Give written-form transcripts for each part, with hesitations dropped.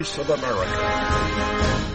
Voice of America.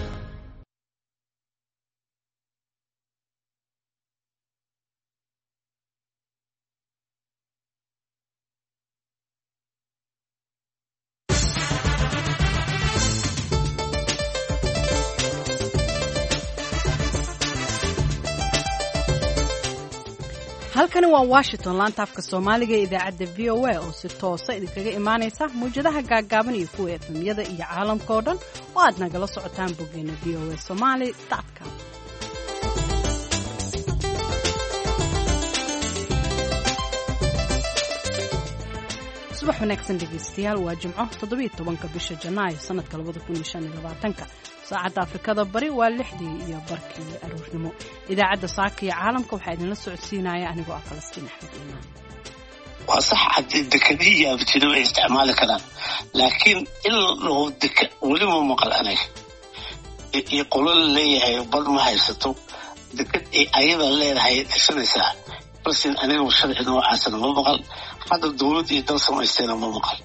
Halkani waa Washington, laanta afka Soomaaliga ee idaacadda VOA oo si toosa idinkaga imaanaysa mawjadaha gaaggaaban iyo kuwa FM-yada iyo caalamka oo dhan oo aad nagala socotaan boggeena voasomali com. Subax wanaagsan dhegaystayaal, waa Jimco, 17-ka bisha Janaayo sanadka 2025-ka. Saacadda Afrikada Bari waa 6:30 aroornimo. Idaacadda saaka iyo caalamka waxaa idinla socodsiinaya anigoo ah Falastiin Axmed Iimaan. Waa sax, haddii dekadihii yaabtido ay isticmaali karaan, laakiin in la dhaho deka weli ma maqal aniga iyo qolo la leeyahay bad ma haysato, dekad ay ayada leedahay dhisanaysaa. Balse aniga sharci noocaasna ma maqal, hadda dowlad iyo dal samaystayna ma maqal.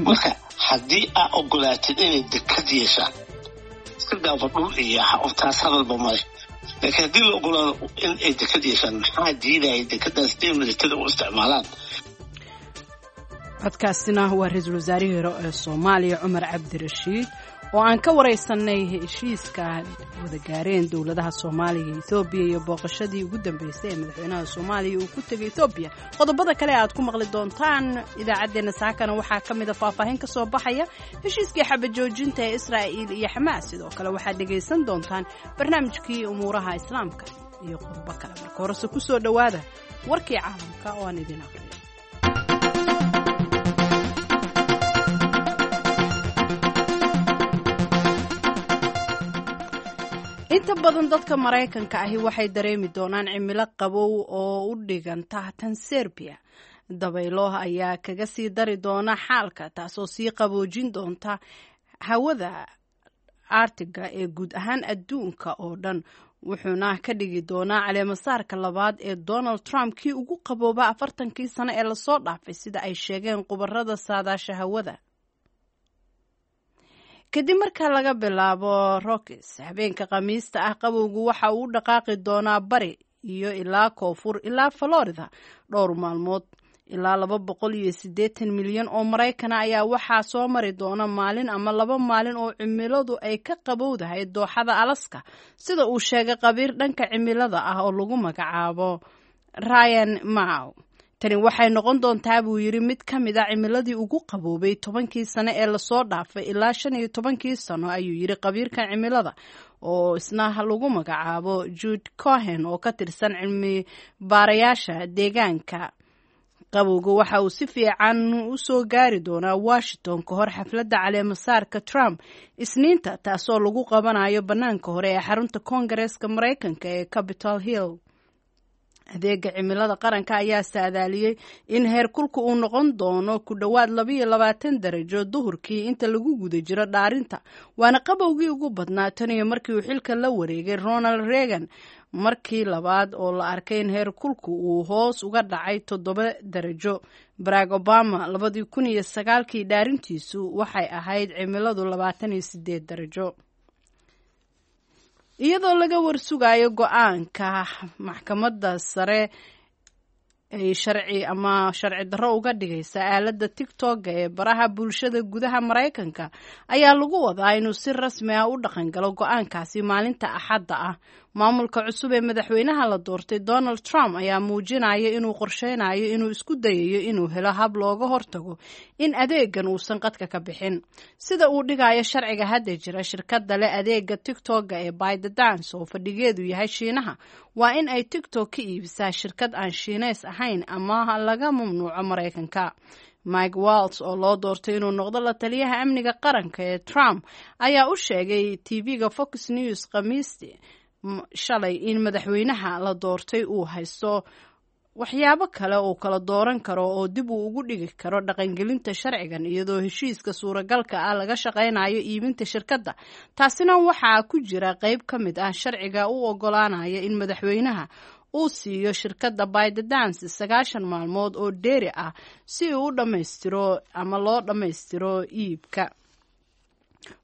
Marka haddii aa ogolaatid inay dekad yeeshaan, iska daafa dhul iyo taas hadalba male, laakiin haddii la ogolaado in ay dekad yeeshaan, maxaa diidaya dekadaas inay militada u isticmaalaan? Codkaasina waa ra-iisul wasaarihii hore ee Soomaaliya Cumar Cabdirashiid oo aan ka waraysanay heshiiska wada gaareen dowladaha Soomaaliya iyo Ethoobiya iyo booqashadii ugu dambeysay ee madaxweynaha Soomaaliya uu ku tegay Ethoobiya. Qodobada kale aad ku maqli doontaan idaacaddeenna saakana waxaa ka mid a faahfaahin ka soo baxaya heshiiskii xabajoojinta ee Israa'iil iyo Xamaas. Sidoo kale waxaad dhegaysan doontaan barnaamijkii umuuraha Islaamka iyo qodobo kale. Marka horese ku soo dhowaada warkii caalamka oo aan idin aqriyo. Inta badan dadka Maraykanka ahi waxay dareemi doonaan cimilo qabow oo u dhiganta tan Serbiya. Dabaylo ayaa kaga sii dari doona xaalka, taasoo sii qaboojin doonta hawada Artiga ee guud ahaan adduunka oo dhan, wuxuuna ka dhigi doonaa caleemasaarka labaad ee Donald Trump kii ugu qabooba 40-kii sano ee lasoo dhaafay, sida ay sheegeen khubarada saadaasha hawada. Kadib marka laga bilaabo Rockies habeenka Khamiista ah, qabowgu waxa uu u dhaqaaqi doonaa bari iyo ilaa koonfur ilaa Florida dhowr maalmood. Ilaa 280 milyan oo Maraykana ayaa waxaa soo mari doona maalin ama 2 maalin oo cimiladu ay ka qabowdahay dooxada Alaska, sida uu sheegay khabiir dhanka cimilada ah oo lagu magacaabo Ryan Maw. Tani waxay noqon doontaa, buu yidhi, mid ka mid a cimiladii ugu qaboobay 10-kii sano ee lasoo dhaafay ilaa 15-kii sano, ayuu yidhi khabiirka cimilada oo isna lagu magacaabo Jude Cohen oo ka tirsan cilmi baarayaasha deegaanka. Qabowga waxa uu si fiican u soo gaari doonaa Washington ka hor xafladda caleemasaarka Trump Isniinta, taasoo lagu qabanayo bannaanka hore ee xarunta Koongareeska Maraykanka ee Capitol Hill. Adeega cimilada qaranka ayaa saadaaliyey in heerkulka uu noqon doono ku dhowaad 22 darajo duhurkii inta lagu guda jiro dhaarinta, waana qabowgii ugu badnaa tan iyo markii uu xilka la wareegay Ronald Reagan, markii labaad oo la arkay in heerkulku uu hoos uga dhacay 7 darajo. Barack Obama 2009-kii dhaarintiisu waxay ahayd cimiladu 28 darajo. Iyadoo laga warsugayo go-aanka maxkamadda sare ay sharci ama sharci darro uga dhigaysa aaladda TikTok-a ee baraha bulshada gudaha Maraykanka, ayaa lagu wadaa inuu si rasmi ah u dhaqangalo go-aankaasi maalinta Axadda ah. Maamulka cusub ee madaxweynaha la doortay Donald Trump ayaa muujinaya inuu qorsheynayo inuu isku dayayo inuu helo hab looga hortago in adeegan uusan qadka ka bixin. Sida uu dhigayo sharciga hadda jira, shirkadda leh adeega TikTok-a ee ByteDance oo fadhigeedu yahay Shiinaha waa in ay TikTok ka iibisaa shirkad aan Shiineys ahayn ama laga mamnuuco Maraykanka. Mike Waltz oo loo doortay inuu noqdo la taliyaha amniga qaranka ee Trump ayaa u sheegay TV-ga Fox News Khamiistii shalay in madaxweynaha la doortay uu haysto waxyaabo kale uu kala dooran karo oo dib uu ugu dhigi karo dhaqangelinta sharcigan, iyadoo heshiiska suuragalka ah laga shaqaynayo iibinta shirkadda. Taasina waxaa ku jira qeyb ka mid ah sharciga u ogolaanaya in madaxweynaha uu siiyo shirkadda ByteDance 90 maalmood oo dheeri ah si uu u dhammaystiro ama loo dhammaystiro iibka.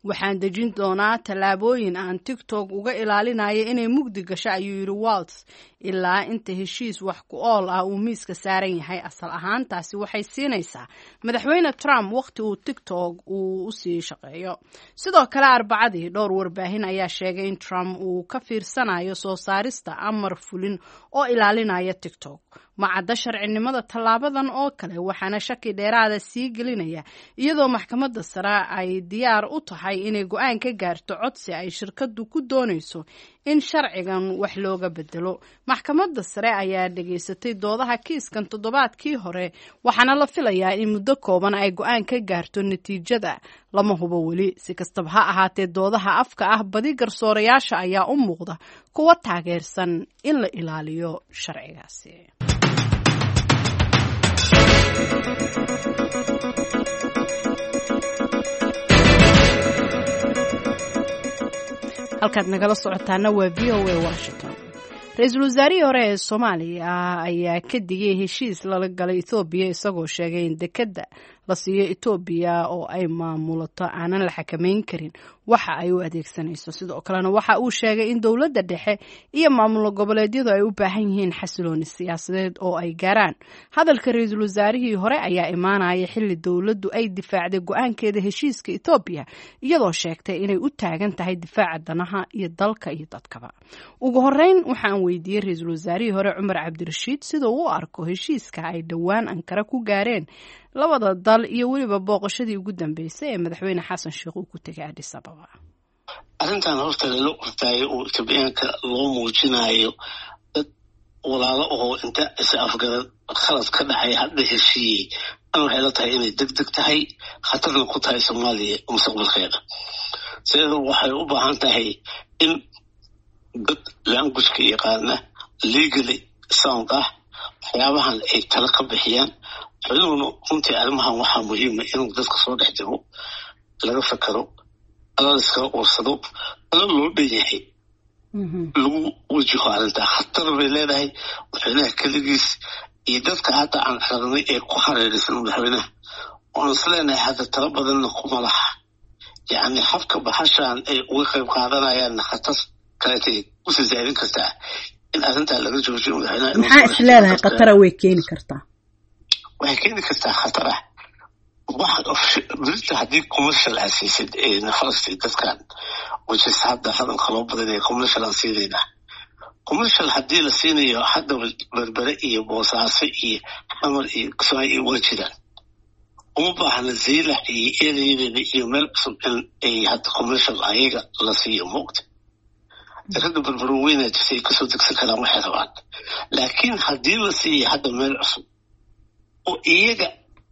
Waxaan dejin doonaa tallaabooyin aan TikTok uga ilaalinayo inay mugdi gasho, ayuu yidhi Walts, ilaa inta heshiis wax ku ool ah uu miiska saaran yahay. Asal ahaan taasi waxay siinaysaa madaxweyne Trump waqti uu TikTok uu usii shaqeeyo. Sidoo kale Arbacadii dhowr warbaahin ayaa sheegay in Trump uu ka fiirsanayo soo saarista amar fulin oo ilaalinaya TikTok. Ma cadda sharcinimada tallaabadan oo kale, waxaana shaki dheeraada sii gelinaya iyadoo maxkamadda sare ay diyaar u tahay inay go-aan ka gaarto codsi ay shirkaddu ku doonayso in sharcigan wax looga bedelo. Maxkamadda sare ayaa dhageysatay doodaha kiiskan toddobaadkii hore, waxaana la filayaa in muddo kooban ay go-aan ka gaarto. Natiijada lama hubo weli. Si kastaba ha ahaatee, doodaha afka ah badi garsoorayaasha ayaa u muuqda kuwa taageersan in la ilaaliyo sharcigaasi. Halkaad nagala socotaana waa VOA Washington. Ra-iisul wasaarihii hore ee Soomaaliya ayaa ka digay heshiis lala galay Etoobiya, isagoo sheegay in dekedda la siiyo Etoobiya oo ay maamulato aanan la xakameyn karin waxa ay u adeegsanayso. Sidoo kalena waxa uu sheegay in dowladda dhexe iyo maamul goboleedyadu ay u baahan yihiin xasilooni siyaasadeed oo ay gaaraan. Hadalka ra-iisul wasaarihii hore ayaa imaanaya xilli dowladdu ay difaacday go-aankeeda heshiiska Etoobiya, iyadoo sheegtay inay u taagan tahay difaaca danaha iyo dalka iyo dadkaba. Ugu horeyn waxaan weydiiyey ra-iisul wasaarihii hore Cumar Cabdirashiid sida uu u arko heshiiska ay dhowaan Ankara ku gaareen labada dal iyo weliba booqashadii ugu dambeysay ee madaxweyne Xasan Sheekh uu ku tegay Addis Ababa. Arrintan horta lala ordaayo oo Etoobiyaanka loo muujinayo dad walaalo oo inta is afgarad khalad ka dhacay hadda heshiiyey, an waxay la tahay inay deg deg tahay, khatarna ku tahay Soomaaliya mustaqbalkeeda. Sideeda waxay u baahan tahay in dad languageka yaqaana, legally sound ah, waxyaabahan ay tala ka bixiyaan. Madaxweynuhuna runtii arrimahan waxaa muhiima inuu dadka soo dhex jiro, laga fakero, ala laiskaga ursado, talo loo dhan yahay lagu wajaho arrintaa. Khatar bay leedahay madaxweynaha keligiis iyo dadka hadda aan aragnay ee ku hareeraysan madaxweynaha oon is leenahay hadda talo badanna kuma laha. Yacni habka baxashan ay uga qayb qaadanayaanna khatar kaleetay usii zaadin kartaa in arrintaa laga joojiyo madaxweynaha. Maxaa is leedahay khatara way keeni kartaa? Waxay keeni kartaa khatar ah birta haddii commercial aad siisid falastiin dadkan, which is hadda hadalka loo badanaya commercial aan siinaynaa. Commercial haddii la siinayo, hadda Berbere iyo Boosaaso iyo Xamar iyo Kismaayo iyo waa jiraan. Uma baahna Zeylac iyo ereyadeeda iyo meel cusub in ay hadda commercial ayaga la siiyo moogta. Dekada Berbero weynaa jirta, ay kasoo degsan karaan waxay rabaan. Laakiin haddii la siiyo hadda meel cusub oo iyaga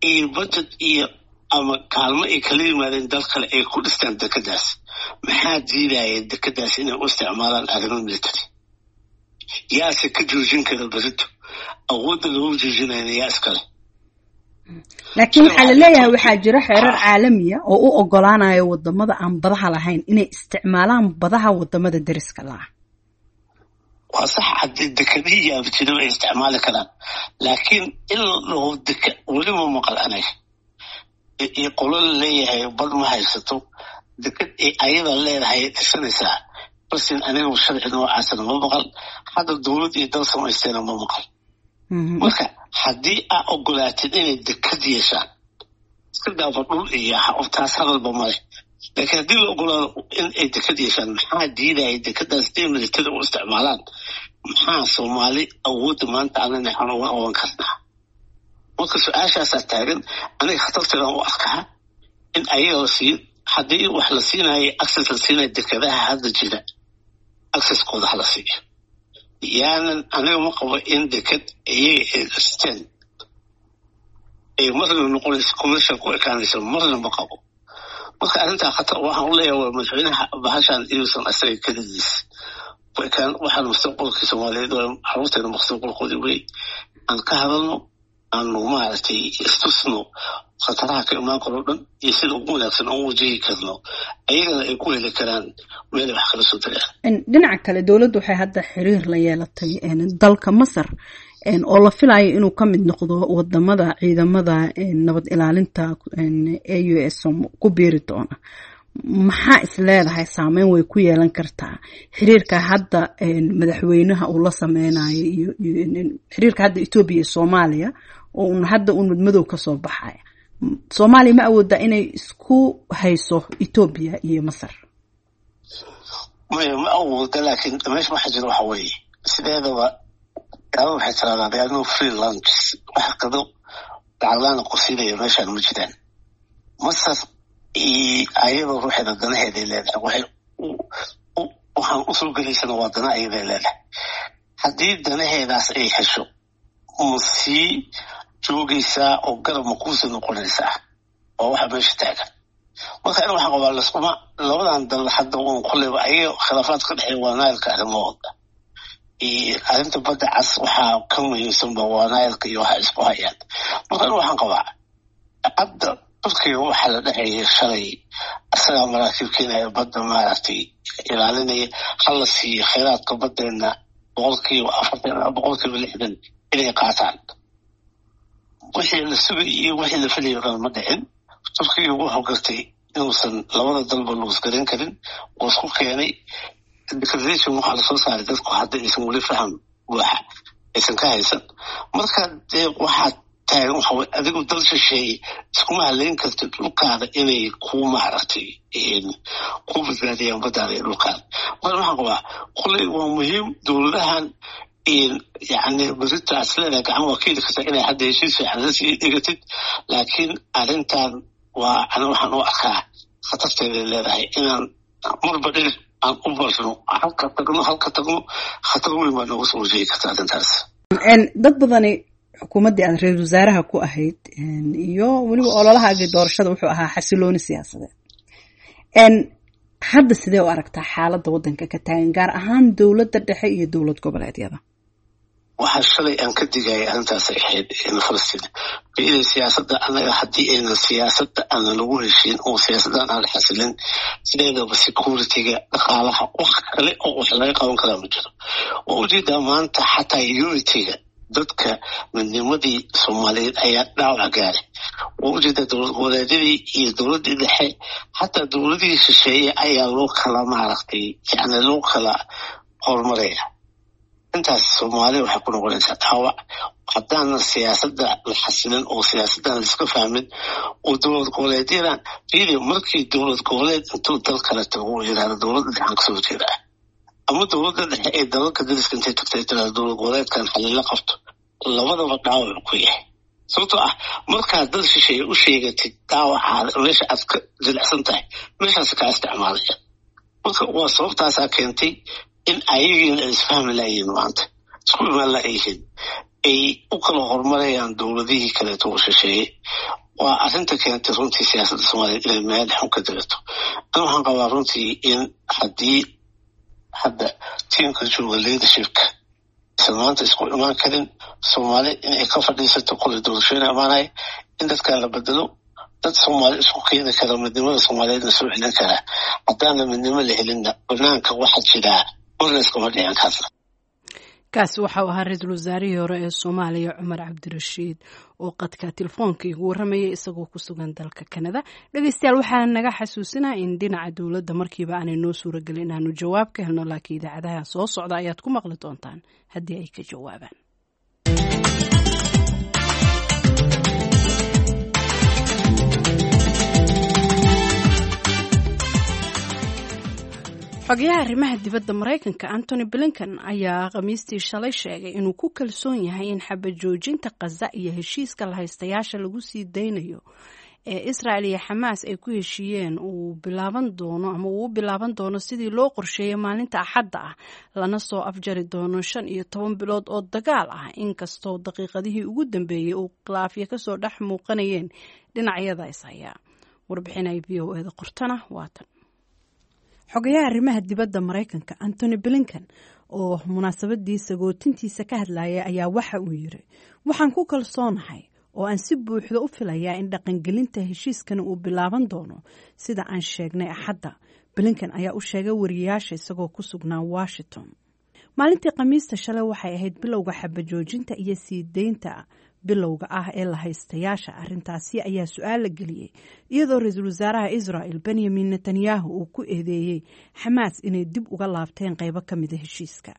iyo budget iyo ama kaalmo ay kala yimaadeen dal kale ay ku dhistaan dekadaas, maxaa diidaya dekadaas inay u isticmaalaan arrimo military? Yaase ka joojin kara berito? Awoodda lagu joojinayna yaa iskale? Laakiin waxaa la leeyahay waxaa jira xeerar caalamiya oo u ogolaanaya wadamada aan badaha lahayn inay isticmaalaan badaha wadamada deriska laah. Waa sax, haddii dekadihii yaabjiro ay isticmaali karaan, laakiin in la dhaho deka weli ma maqal aniga iyo qolo la leeyahay bad ma haysato, dekad ay ayada leedahay dhisanaysaa. Balsin anigu sharci noocaasna ma maqal, hadda dowlad iyo dal samaystayna ma maqal. Marka haddii aa ogolaatid inay dekad yeeshaan, iska daafa dhul iyo taas hadalba male, laakiin haddii la ogolaado in ay dekad yeeshaan, maxaa diidaya dekadaas inay militada u isticmaalaan? Maxaa Soomaali awoodda maanta anana aan uga qaban karnaa? Marka su-aashaasaa taagan. Aniga khatarteedaan u arkaa in ayaga la siiyo. Haddii wax la siinayo, access la siinayo dekadaha hadda jira, accesskooda hala siiyo. Yaanan aniga ma qabo in dekad iyaga ay dhisteen ay marna noqonayso commercial ku ekaanayso, marna ma qabo. Marka arrintaa khatar waxaan u leeyahay waa madaxweynaha bahashan inuusan asaga keligiis ku ekaan. Waxaan mustaqbalkii Soomaaliyeed waa carruurteena mustaqbalkoodii wey. Aan ka hadalno, aanu maaragtay istusno khataraha ka imaan karo dhan iyo sida ugu wanaagsan oon wajihi karno, ayagana ay ku heli karaan meelay wax kala soo tagaan. Dhinaca kale dowladdu waxay hadda xiriir la yeelatay dalka Masar oo la filayo inuu ka mid noqdo wadamada ciidamada nabad ilaalinta AUSM ku biiri doona. Maxaa is leedahay saameyn way ku yeelan kartaa xiriirka hadda madaxweynaha uu la sameynayo iyo xiriirka hadda Etoobiya iyo Soomaaliya oo un hadda uun madmadow kasoo baxaya? Soomaaliya ma awoodaa inay isku hayso Etoobiya iyo Masar? Maya, ma awooda, laakiin meesha waxa jira waxa weeye, sideedaba gaalada waxay tiraahdaa "There are no free lunches." Wax qado lacaglaana qusinaya meeshaan ma jiraan. Masar ayadoo ruuxeeda danaheeday leedahay, waxay waxaan usoo gelaysana waa dana ayaday leedahay. Haddii danaheedaas ay hesho, ma sii joogaysaa oo garab ma kuusii noqonaysaa? Waa waxa meesha taagan. Marka in waxaan qabaa laskuma labadan dal hadda uun kolleyba ayaga khilaafaad ka dhexeeya waa Nailka arrimahooda. Arrinta Badda Cas waxaa ka muhiimsanba waa Nailka iyo waxa isku hayaan. Marka in waxaan qabaa hadda Turkiga waxaa la dhexeeya shalay isagaa maraakiib keenaya, badda maaragtay ilaalinaya, hala siiyo kheyraadka baddeena 40%, 60% inay qaataan. Wixii la sugay iyo wixii la filayo dhan ma dhicin. Turkiga wuxuu gartay inuusan labada dalba luusgarin karin, wuu isku keenay. Declaration waxaa lasoo saaray dadku hadda aysan weli faham buuxa aysan ka haysan. Marka dee waxaa taagan waxa weye, adigu dal shisheeye iskuma haleyn kartid dhulkaada inay kuu maaragtay kuu badbaadiyaan baddaada iyo dhulkaada. Marka waxaan qabaa kulley waa muhiim dowladahan, yacni berita aad isleedahay gacan waa ka heli kartaa inay hadda heshiis fiican la sii dhigatid, laakiin arrintan waa ani waxaan u arkaa khatarteeday leedahay inaan marba dhinac aan u barno, halka tagno, halka tagno, khatar weyn baa nooga soo wajihi karta arrintaas. Dad badani xukuumaddii aad ra-iisul wasaaraha ku ahayd iyo weliba ololahaagii doorashada wuxuu ahaa xasilooni siyaasadeed. Hadda sidee u aragtaa xaaladda waddanka ka taagan, gaar ahaan dowladda dhexe iyo dowlad goboleedyada? Waxaa shalay aan ka digaya arrintaasay ahayd Falastiin ida siyaasadda. Annaga haddii aynan siyaasadda aanan lagu heshiin oo siyaasaddan aan la xasilin, sideedaba security-ga, dhaqaalaha, wax kale oo wax laga qaban karaa ma jiro. Waa ujeedaa maanta xataa unity-ga dadka, midnimadii Soomaaliyeed ayaa dhaawac gaaray. Waa ujeedaa dowlad goboleedyadii iyo dowladdii dhexe, xataa dowladihii shisheeye ayaa loo kala maaragtay, yacni loo kala horumaraya. Intaas Soomaaliya waxay ku noqonaysaa dhaawac haddaanan siyaasadda la xasilin oo siyaasaddan la iska fahmin oo dowlad goboleedyadan fiiri. Markii dowlad goboleed intuu dal kale tago uu yidhahdo dowladda dhexaan kasoo jeedaa, ama dowladda dhexe ee dalalka dariska intay tagtay tirahdo dowlad goboleedkan xalila qabto, labadaba dhaawac ku yahay. Sababtoo ah markaad dal shisheeye u sheegatid dhaawacaada, meesha aad ka jilicsan tahay, meeshaas kaa isticmaalaya. Marka waa sababtaasaa keentay in ayagiina ay isfahmi laayihiin, maanta isku imaan laayihiin, ay u kala horumarayaan dowladihii kaleeto oo shisheeye. Waa arrinta keentay runtii siyaasadda Soomaaliyeed inay meel xun ka dagato. Ana waxaan qabaa runtii in haddii hadda tiimka jooga leadershipka isan maanta isku imaan karin, Soomaali inay ka fadhiisato qolay doorashooyin imaanaya, in dadkan la bedelo, dad Soomaali isku keeni kara, midnimada Soomaaliyeedna soo celin karaa. Haddaana midnimo la helinna, banaanka waxaa jiraa marnaiskama dhicin karna. Kaasi waxau ahaa ra-iisul wasaarihii hore ee Soomaaliya Cumar Cabdirashiid oo qadka telefoonka igu warramayay isagoo ku sugan dalka Kanada. Dhegeystayaal, waxaa naga xasuusinaa in dhinaca dowladda markiiba aanay noo suuragelin inaanu jawaab ka helno, laakiin idaacadaha soo socda ayaad ku maqli doontaan haddii ay ka jawaabaan. Xogayaha arrimaha dibadda Maraykanka Antony Blinken ayaa Khamiistii shalay sheegay inuu ku kalsoon yahay in xabajoojinta Khaza iyo heshiiska lahaystayaasha lagu sii daynayo ee Israel iyo Xamaas ay ku heshiiyeen uu bilaaban doono ama uu u bilaaban doono sidii loo qorsheeyay maalinta Axadda ah, lana soo afjari doono 15 bilood oo dagaal ah, inkastoo daqiiqadihii ugu dambeeyey uu khilaafyo kasoo dhex muuqanayeen dhinacyada is hayaa. Warbixin ay VOA-da qortana waatan. Xogayaha arrimaha dibadda Maraykanka Antony Blinken oo munaasabadii sagootintiisa ka hadlayay ayaa waxa uu yiri: "Waxaan ku kalsoonahay oo aan si buuxda u filayaa in dhaqangelinta heshiiskani uu bilaaban doono sida aan sheegnay Axadda," Blinken ayaa u sheegay wariyayaasha isagoo ku sugnaa Washington. Maalintii Khamiista shalay waxay ahayd bilowga xabajoojinta iyo sii deynta Bilowga ah ee la haystayaasha arrintaasi ayaa su-aal la geliyey, iyadoo ra-iisul wasaaraha Israel Benyamin Netanyahu uu ku eedeeyey Xamaas inay dib uga laabteen qeybo ka mida heshiiska.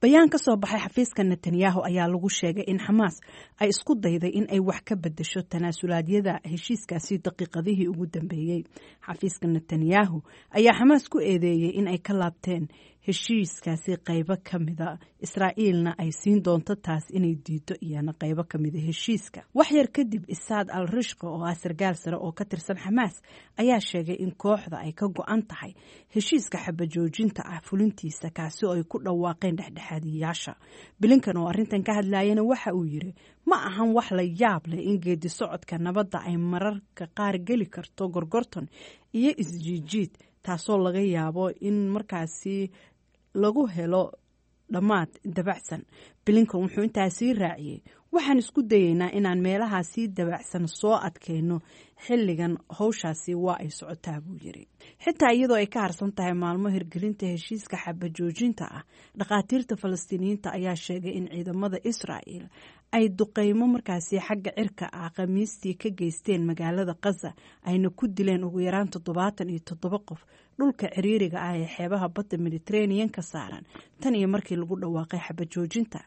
Bayaan ka soo baxay xafiiska Netanyahu ayaa lagu sheegay in Xamaas ay isku dayday in ay wax ka bedesho tanaasulaadyada heshiiskaasi daqiiqadihii ugu dambeeyey. Xafiiska Netanyahu ayaa Xamaas ku eedeeyey in ay ka laabteen heshiiskaasi qaybo ka mida, Israa'iilna ay siin doonto taas inay diido iyana qaybo ka mida heshiiska. Waxyar kadib, Isaad al Rishqa oo ah sargaal sare oo ka tirsan Xamaas ayaa sheegay in kooxda ay ka go-an tahay heshiiska xabajoojinta ah fulintiisa, kaasi oo ay ku dhawaaqeen dhexdhexaadiyaasha. Bilinkan oo arrintan ka hadlayana waxa uu yiri: "Ma ahan wax la yaab leh in geedi socodka nabadda ay mararka qaar geli karto gorgorton iyo isjiijiid, taasoo laga yaabo in markaasi lagu helo dhammaad dabacsan." Bilinkan wuxuu intaa sii raaciyey: "Waxaan isku dayeynaa inaan meelahaasii dabacsan soo adkayno. Xilligan howshaasi waa ay socotaa," buu yiri. Xitaa iyadoo ay ka harsan tahay maalmo hirgelinta heshiiska xabajoojinta ah, dhakhaatiirta Falastiiniyiinta ayaa sheegay in ciidamada Israa'el ay duqeymo markaasi xagga cirka ah Khamiistii ka geysteen magaalada Khaza, ayna ku dileen ugu yaraan 77 qof dhulka ciriiriga ah ee xeebaha badda Mediterranean ka saaran tan iyo markii lagu dhawaaqay xabajoojinta.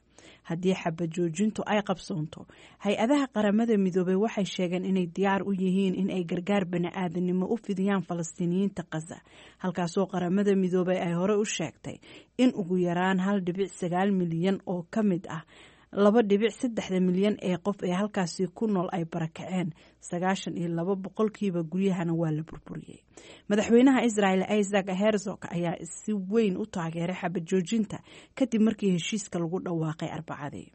Haddii xabajoojintu ay qabsoonto, hay-adaha Qaramada Midoobey waxay sheegeen inay diyaar u yihiin in ay gargaar bani-aadanimo u fidiyaan Falastiiniyiinta Khaza, halkaasoo Qaramada Midoobey ay hore u sheegtay in ugu yaraan 1.9 milyan oo ka mid ah 2.3-da milyan ee qof ee halkaasi ku nool ay barakaceen, 92% guryahana waa la burburiyey. Madaxweynaha Israel Isaac Herzog ayaa si weyn u taageeray xabajoojinta kadib markii heshiiska lagu dhawaaqay Arbacadii.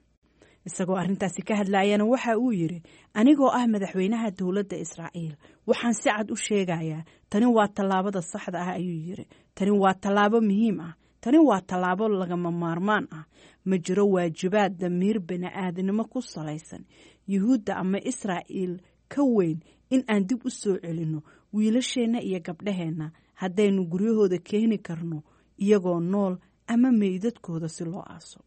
Isagoo arrintaasi ka hadlayana waxa uu yiri: "Anigoo ah madaxweynaha dowladda Israa'iil, waxaan si cad u sheegayaa, tani waa tallaabada saxda ah," ayuu yiri. "Tani waa tallaabo muhiim ah. Tani waa tallaabo lagama maarmaan ah. Ma jiro waajibaad damiir bani-aadnimo ku salaysan Yuhuudda ama Israa'iil ka weyn in aan dib u soo celinno wiilasheenna iyo gabdhaheenna, haddaynu guryahooda keeni karno iyagoo nool ama meydadkooda si loo aaso."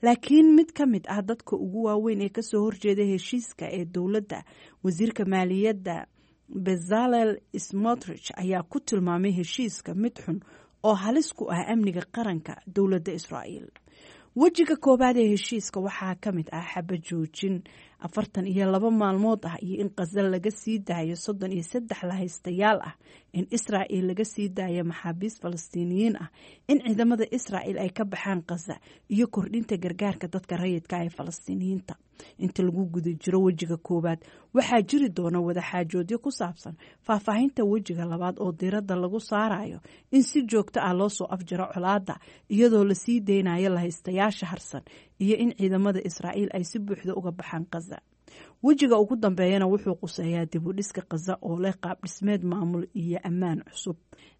Laakiin mid ka mid ah dadka ugu waaweyn ee kasoo horjeeda heshiiska ee dowladda, wasiirka maaliyadda Bezalel Smotrich, ayaa ku tilmaamay heshiiska mid xun oo halis ku ah amniga qaranka dowladda Israa'iil. Wejiga koowaad ee heshiiska waxaa ka mid ah xabajoojin 42 maalmood ah iyo in Khaza laga sii daayo 33 lahaystayaal ah, in Israa'il laga sii daayo maxaabiis Falastiiniyiin ah, in ciidamada Israa'il ay ka baxaan Khaza iyo kordhinta gargaarka dadka rayidka ee Falastiiniyiinta. Inta lagu guda jiro wejiga koowaad, waxaa jiri doona wadaxaajoodyo ku saabsan faahfaahinta wejiga labaad oo diiradda lagu saarayo in si joogto ah loo soo afjaro colaadda, iyadoo lasii deynayo lahaystayaasha harsan iyo in ciidamada Israa'iil ay si buuxda uga baxaan Khaza. Wejiga ugu dambeeyana wuxuu quseeyaa dib u dhiska Khaza oo leh qaab dhismeed maamul iyo ammaan cusub.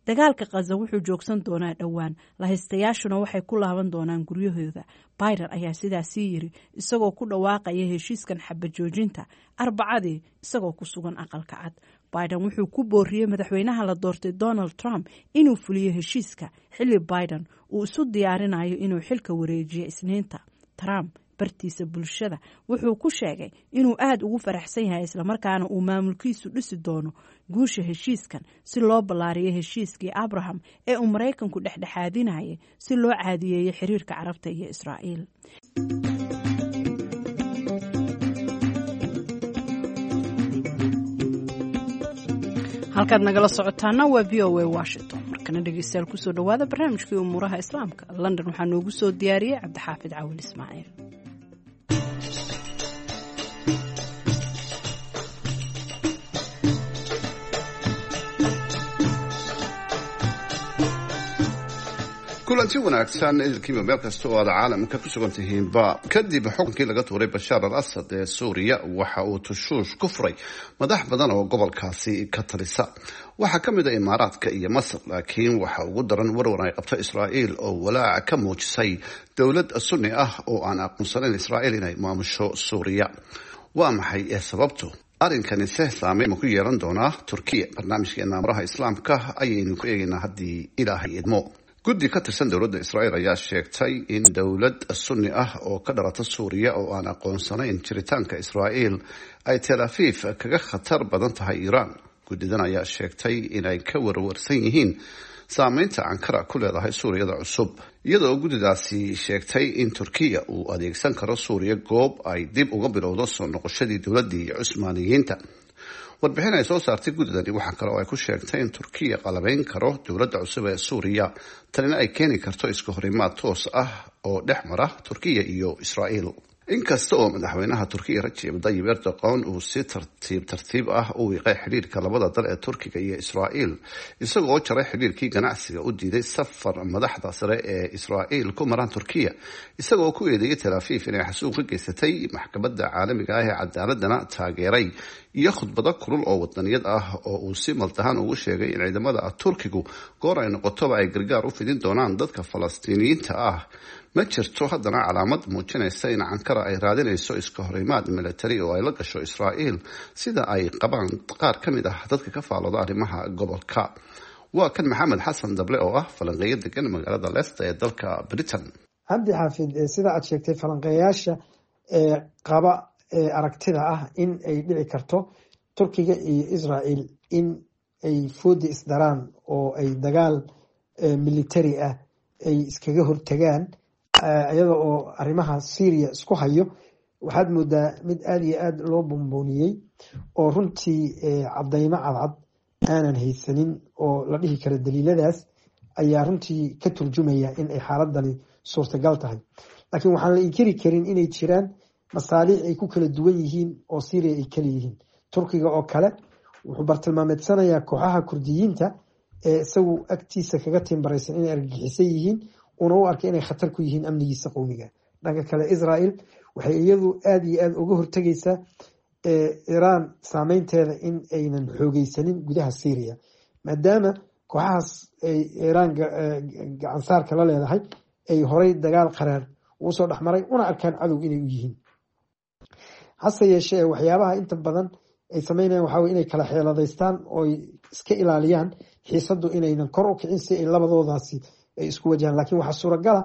Dagaalka Khaza wuxuu joogsan doonaa dhowaan, lahaystayaashuna waxay ku laaban doonaan guryahooda, Biden ayaa sidaasii yiri isagoo ku dhawaaqaya heshiiskan xabajoojinta Arbacadii isagoo ku sugan Aqalka Cad. Biden wuxuu ku booriyey madaxweynaha la doortay Donald Trump inuu fuliyo heshiiska, xilli Biden uu isu diyaarinayo inuu xilka wareejiyo Isniinta. Trump bartiisa bulshada wuxuu ku sheegay inuu aada ugu faraxsan yahay, islamarkaana uu maamulkiisu dhisi doono guusha heshiiskan si loo ballaariyo heshiiskii Abraham ee uu Maraykanku dhexdhexaadinayay si loo caadiyeeyo xiriirka Carabta iyo Israa'iil. Halkaad nagala socotaana waa VOA Washington. Markana dhegeystayaal, kusoo dhawaada barnaamijkii umuuraha Islaamka. London waxaa noogu soo diyaariyey Cabdixaafid Cawil Ismaaciil. Kulanti wanaagsan idilkiiba meel kasta oo aad caalamka ku sugan tihiinba. Kadib xukunkii laga tuuray Bashaar al Asad ee Suuriya, waxa uu tushuush ku furay madax badan oo gobolkaasi ka talisa. Waxaa ka mid a Imaaraadka iyo Masar, laakiin waxa ugu daran warwar ay qabto Israa'iil oo walaaca ka muujisay dowlad Sunni ah oo aan aqoonsanayn Israa'iil inay maamusho Suuriya. Waa maxay ee sababtu? Arrinkani se saameyn ma ku yeelan doonaa Turkiya? Barnaamijkeena Amuraha Islaamka ayaynu ku eegaynaa haddii Ilaahay idmo. Guddi ka tirsan dowladda Israa'iil ayaa sheegtay in dowlad Sunni ah oo ka dhalata Suuriya oo aan aqoonsanayn jiritaanka Israa'iil ay Tel Aviv kaga khatar badan tahay Iiraan. Guddidan ayaa sheegtay inay ka warwarsan yihiin saameynta Ankara ku leedahay Suuriyada cusub, iyadoo guddidaasi sheegtay in Turkiya uu adeegsan karo Suuriya goob ay dib uga bilowdo soo noqoshadii dowladdii Cusmaaniyiinta. Warbixin ay soo saartay guddidani waxaa kale oo ay ku sheegtay in Turkiya qalabeyn karo dowladda cusub ee Suuriya, tanina ay keeni karto iska horimaad toos ah oo dhex mara Turkiya iyo Israa'iil. Inkasta oo madaxweynaha Turkiya Rajeb Dayib Erdogan uu si tartiib tartiib ah u wiiqay xidhiirka labada dal ee Turkiga iyo Israa'iil, isagoo jaray xidhiirkii ganacsiga, u diiday safar madaxda sare ee Israa'iil ku maraan Turkiya, isagoo ku eedeeyay Tel Aviv inay xasuuq ka geysatay, Maxkamadda Caalamiga ah ee Cadaaladana taageeray, iyo khudbado kulul oo wadaniyad ah oo uu si maltahan ugu sheegay in ciidamada Turkigu goor ay noqotoba ay gargaar u fidin doonaan dadka Falastiiniyiinta ah, ma jirto haddana calaamad muujinaysa in Ankara ay raadinayso iska horimaad militari oo ay la gasho Israa'iil, sida ay qabaan qaar ka mid ah dadka ka faalooda arrimaha gobolka. Waa kan Maxamed Xasan Dable oo ah falanqeeyo degan magaalada Leicester ee dalka Britain. Cabdi Xaafid, sida aad sheegtay, falanqeeyaasha ee qaba aragtida ah in ay dhici karto Turkiga iyo Israel in ay foodi isdaraan oo ay dagaal military ah ay iskaga hortagaan, iyada oo arrimaha Syria isku hayo, waxaad moodaa mid aada iyo aada loo bombooniyey oo runtii cadaymo cadcad aanan haysanin oo la dhihi karo daliiladaas ayaa runtii ka turjumaya in ay xaaladani suurtagal tahay. Laakiin waxaan la inkiri karin inay jiraan masaaliic ay ku kala duwan yihiin oo Syria ay kala yihiin. Turkiga oo kale wuxuu bartilmaameedsanayaa kooxaha Kurdiyiinta ee isagu agtiisa kaga tiimbaraysan inay argagixisan yihiin, una u arkay inay khatar ku yihiin amnigiisa qowmiga. Dhanka kale, Israel waxay iyadu aada iyo aada uga hortegaysaa Iiraan saameynteeda in aynan xoogeysanin gudaha Syria, maadaama kooxahaas ay Iiraan gacansaarka la leedahay ay horay dagaal qaraar ugu soo dhexmaray, una arkaan cadow inay u yihiin. Hase yeeshee, waxyaabaha inta badan ay sameynayaan waxaa wey inay kala xeeladaystaan ooy iska ilaaliyaan xiisaddu inaynan kor u kicin, si ay labadoodaasi ay isku wajahaan. Lakiin waxaa suuragala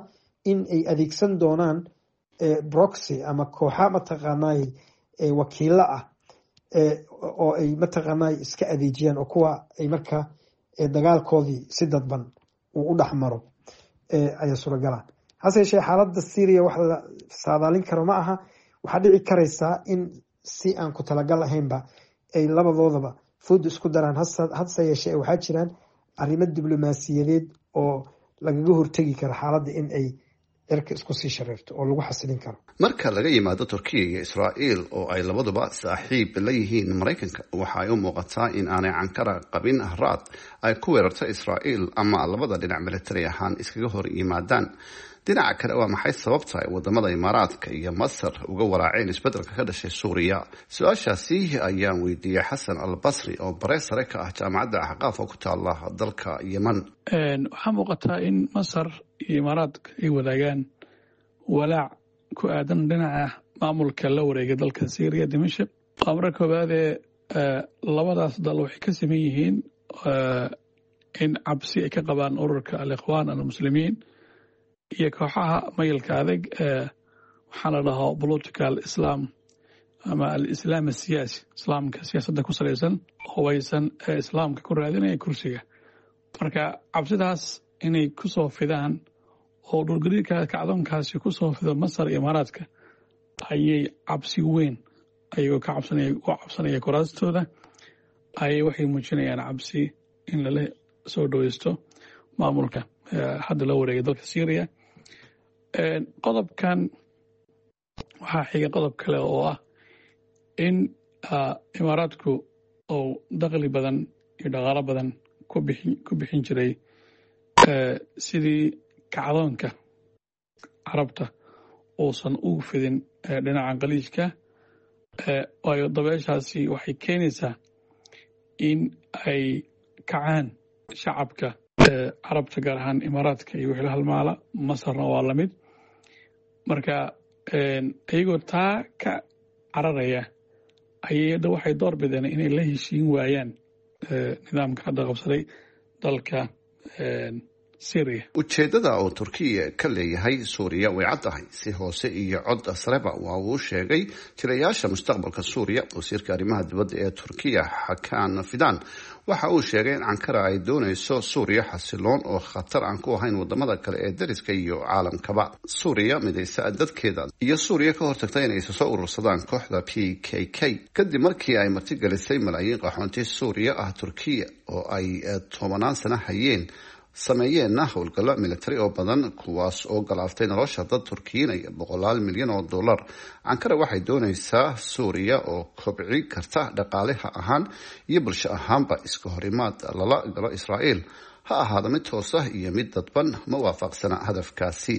in ay adeegsan doonaan proxy ama kooxa mataqaanay wakiilo ah oo ay mataqaanay iska adeejiyaan, oo kuwa ay markaa dagaalkoodii si dadban uu u dhex maro ayaa suuragala. Hase yeeshee, xaaladda Syria wax la saadaalin karo ma aha. Waxaa dhici karaysaa in si aan ku talagal ahaynba ay labadoodaba fooda isku daraan. Hase yeeshee, waxaa jiraan arrimo diblomaasiyadeed oo lagaga hortegi karo xaaladda in ay cirka isku sii shareerto oo lagu xasilin karo. Marka laga yimaado Turkiya iyo Israa'iil oo ay labaduba saaxiib la yihiin Maraykanka, waxa ay u muuqataa in aanay Ankara qabin raad ay ku weerarto Israa'iil ama labada dhinac militari ahaan iskaga hor yimaadaan. Dhinaca kale, waa maxay sababta ay wadamada Imaaraadka iyo Masar uga waraaceen isbeddelka ka dhashay Suuriya? Su-aashaasi ayaan weydiiyey Xasan Al Basri oo bare sare ka ah Jaamacadda Axqaaf oo ku taala dalka Yeman. Waxaa muuqataa in Masar iyo Imaaraadka ay wadaagaan walaac ku aadan dhinaca maamulka la wareegay dalka Syriya, Dimashik. Waa marka koowaadee, labadaas dal waxay ka siman yihiin in cabsi ay ka qabaan ururka Al-Ikhwaan Almuslimiin iyo kooxaha mayilka adag ee waxaa la dhahaa political Islam ama al-Islaam asiyaasi, islaamka siyaasadda ku salaysan, hubaysan ee islaamka ku raadinaya kursiga. Marka cabsidaas inay ku soo fidaan oo dhulgariirka kacdoonkaasi ku soo fido Masar iyo Imaaraadka ayay cabsi weyn ayagoo ka cabsanaya u cabsanaya kuraastooda ayay waxay muujinayaan cabsi in lala soo dhoweysto maamulka hadda la wareegay dalka Syria. Qodobkan waxaa xiga qodob kale oo ah in Imaaraadku uu dakhli badan iyo dhaqaalo badan ku bixin jiray sidii kacdoonka Carabta uusan ugu fidin dhinaca Khaliijka, waayo dabeeshaasi waxay keenaysaa in ay kacaan shacabka Carabta, gaar ahaan Imaaraadka iyo wixii la halmaala. Masarna waa lamid. Marka iyagoo taa ka cararaya ayay hadda waxay door bideen inay la heshiin waayaan nidaamka hadda qabsaday dalka. Syria. Ujeeddada oo Turkiya ka leeyahay Suuriya way caddahay, si hoose iyo cod sareba waa uu sheegay jilayaasha mustaqbalka Suuriya. Wasiirka arrimaha dibadda ee Turkiya, Xakan Fidan, waxa uu sheegay in Ankara ay doonayso Suuriya xasiloon oo khatar aan ku ahayn wadamada kale ee dariska iyo caalamkaba, Suuriya midaysa dadkeeda iyo Suuriya ka hortagta inay isa soo urursadaan kooxda PKK. Kadib markii ay martigelisay malaayiin qaxoonti Suuriya ah Turkiya oo ay tobanaan sano hayeen, sameeyeenna howlgallo militari oo badan kuwaas oo galaaftay nolosha dad turkiyiinaya boqolaal milyan oo dollar, Ankara waxay doonaysaa Suuriya oo kobci karta dhaqaaleha ahaan iyo bulsho ahaanba. Iska horimaad lala galo Israa'iil, ha ahaado mid toos ah iyo mid dadban, ma waafaqsana hadafkaasi.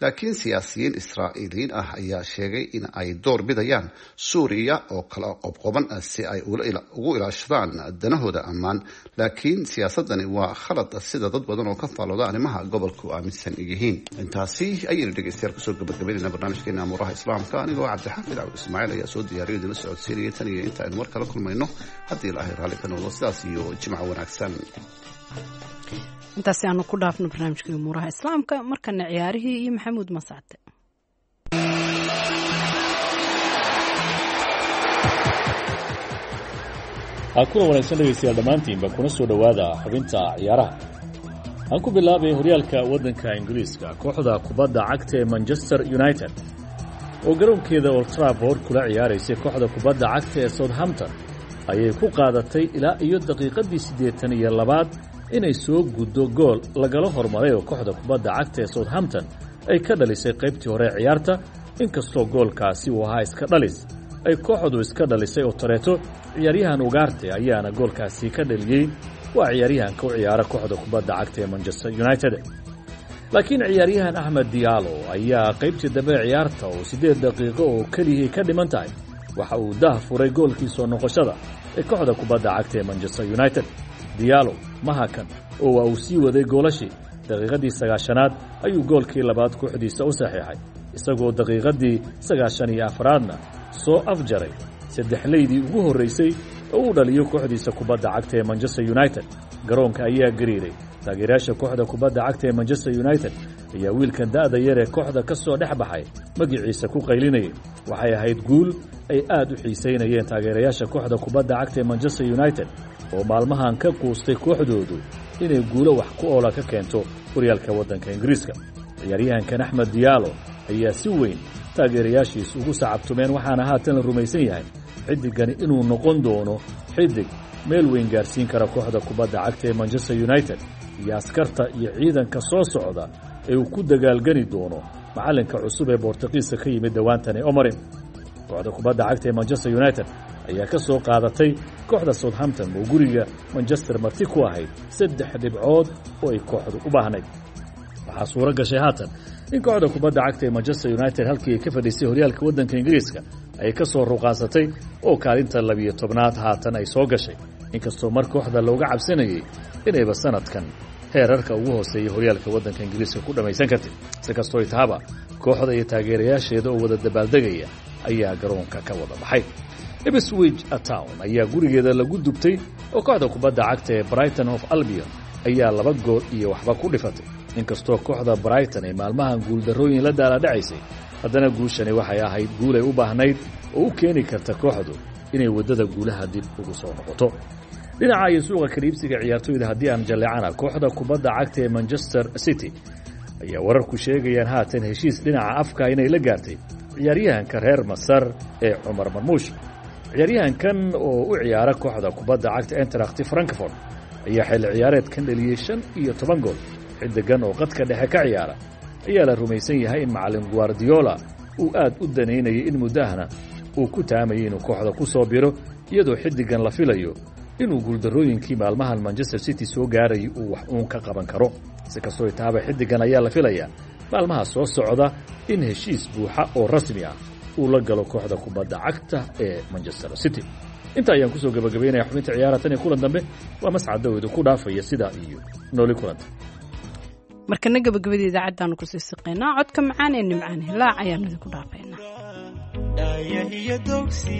Laakiin siyaasiyiin Israa'iiliyiin ah ayaa sheegay in ay door bidayaan Suuriya oo kala qobqoban si ay ugu ilaashadaan danahooda ammaan. Laakiin siyaasadani waa khalad, sida dad badan oo ka faalooda arrimaha gobolku aaminsan yihiin. Intaasi ayaynu dhegeystayaal kusoo gabagabaynayna barnaamijkeena Amuuraha Islaamka. Anigoo Cabdixaafid Cabdi Ismaaciil ayaa soo diyaariyo idinla socodsiinaya. Tan iyo inta aynu mar kala kulmayno, haddii Ilaahay raalli ka noqdo, sidaas iyo jimco wanaagsan. Intaasi aanu ku dhaafno barnaamijka Umuuraha Islaamka. Markana ciyaarihii iyo Maxamuud Mascade. Kuna wanaagsan dhegaystayaal dhammaantiinba, kuna soo dhowaada xubinta ciyaaraha. Aan ku bilaabay horyaalka waddanka Ingiriiska. Kooxda kubadda cagta ee Manchester United oo garoonkeeda Old Trafford kula ciyaaraysay kooxda kubadda cagta ee Southampton ayay ku qaadatay ilaa iyo daqiiqaddii 82aad inay soo guddo gool lagala hormaray oo kooxda kubadda cagta ee Southampton ay ka dhalisay qaybtii hore ee ciyaarta. Inkastoo goolkaasi uu ahaa iska dhalis ay kooxdu iska dhalisay oo tareeto, ciyaaryahan Ugarte ayaana goolkaasi ka dhaliyey. Waa ciyaaryahanka u ciyaara kooxda kubadda cagta ee Manchester United. Laakiin ciyaaryahan Axmed Diallo ayaa qaybtii dambe ee ciyaarta oo 8 daqiiqo oo keliyihii ka dhiman tahay waxa uu dah furay goolkii soo noqoshada ee kooxda kubadda cagta ee Manchester United. Diallo mahakan oo waa uu sii waday goolashii. Daqiiqaddii 90aad ayuu goolkii labaad kooxdiisa u saxiixay, isagoo daqiiqaddii 94aadna soo afjaray saddexleydii ugu horraysay oo uu dhaliyo kooxdiisa kubadda cagta ee Manchester United. Garoonka ayaa gariiray. Taageerayaasha kooxda kubadda cagta ee Manchester United ayaa wiilkan da'da yar ee kooxda ka soo dhex baxay magiciisa ku qaylinayay. Waxay ahayd guul ay aad u xiisaynayeen taageerayaasha kooxda kubadda cagta ee Manchester United oo maalmahan ka quustay kooxdoodu inay guulo wax ku oola ka keento horyaalka waddanka Ingiriiska. Ciyaaryahankan Axmed Diallo ayaa si weyn taageerayaashiis ugu sacabtumeen, waxaana haatan la rumaysan yahay xiddigani inuu noqon doono xiddig meel weyn gaarsiin kara kooxda kubadda cagta ee Manchester United iyo askarta iyo ciidanka soo socda ee uu ku dagaalgeli doono macallinka cusub ee Boortaqiiska ka yimid dhowaantani, Omarin. Kooxda kubadda cagta ee Manchester United ayaa ka soo qaadatay kooxda Southampton oo guriga Manchester marti ku ahayd 3 dhibcood oo ay kooxdu u baahnayd. Waxaa suuro gashay haatan in kooxda kubadda cagta ee Manchester United halkii ay ka fadhiisay horyaalka waddanka Ingiriiska ay ka soo ruqaansatay oo kaalinta 12aad haatan ay soo gashay, inkastoo mar kooxda looga cabsanayay inayba sanadkan heerarka ugu hooseeya horyaalka waddanka Ingiriiska ku dhammaysan kartay. Si kastoo tahaba, kooxda iyo taageerayaasheeda oo wada dabaaldegaya ayaa garoonka ka wada baxay. Ipswich Town ayaa gurigeeda lagu dubtay oo kooxda kubadda cagta ee Brighton of Albion ayaa 2 gool iyo waxba ku dhifatay. Inkastoo kooxda Brighton ay maalmahan guuldarrooyin la daaladhacaysay, haddana guushani waxay ahayd guul ay u baahnayd oo u keeni karta kooxdu inay waddada guulaha dib ugu soo noqoto. Dhinaca iyo suuqa kaliibsiga ciyaartoyda haddii aan jalleecana, kooxda kubadda cagta ee Manchester City ayaa wararku sheegayaan haatan heshiis dhinaca afka inay la gaartay ciyaaryahanka reer Masar ee Cumar Marmuush. Ciyaaryahankan oo u ciyaara kooxda kubadda cagta Eintracht Frankfurt ayaa xilli ciyaareedkan dhaliyey 15 gool. Xiddigan oo qadka dhexe ka ciyaara ayaa la rumaysan yahay in macallin Guardiola uu aad u danaynayay, in muddahana uu ku taamayay inuu kooxda ku soo biro, iyadoo xiddigan la filayo inuu guuldarrooyinkii maalmahan Manchester City soo gaarayay uu wax uun ka qaban karo. Si kastoo taaba, xiddigan ayaa la filayaa maalmaha soo socda in heshiis buuxa oo rasmi ah uu la galo kooxda kubadda cagta ee Manchester City. Inta ayaan kusoo gabagabaynaya xubinta ciyaara. Tan iyo kulan dambe, waa Mascad Dawid ku dhaafaya sidaa iyo nooli kulanta. Markana gabagabada idaacaddaanu kusii siqaynaa. Codka macaan ee Nimcaan Hilaac ayaanu idinku dhaafaynaa. Dhaayahiyo dogsi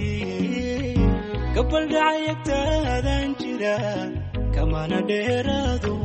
gabaldhacayagtaadaan jira kamana dheeraado.